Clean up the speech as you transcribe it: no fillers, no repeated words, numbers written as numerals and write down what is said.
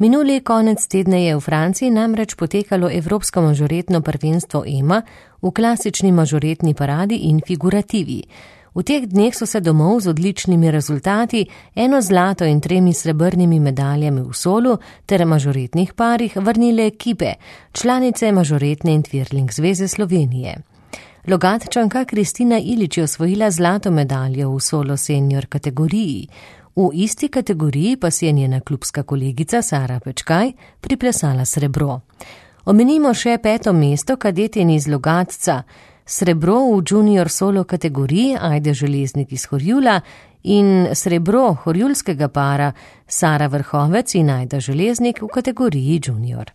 Minuli konec tedna je v Franciji namreč potekalo Evropsko mažoretno prvenstvo EMA v klasični mažoretni paradi in figurativi. V teh dneh so se domov z odličnimi rezultati, 1 zlato in 3 srebrnimi medaljami v solu ter mažoretnih parih vrnile ekipe, članice Mažoretne in Twirling zveze Slovenije. Logatčanka Kristina Ilić je osvojila zlato medaljo v solo senior kategoriji. V isti kategoriji pa si je njena klubska kolegica Sara Pečkaj priplesala srebro. Omenimo še 5. mesto kadetin iz Logatca, srebro v junior solo kategoriji Ajde Železnik iz Horjula in srebro horjulskega para Sara Vrhovec in Ajda Železnik v kategoriji junior.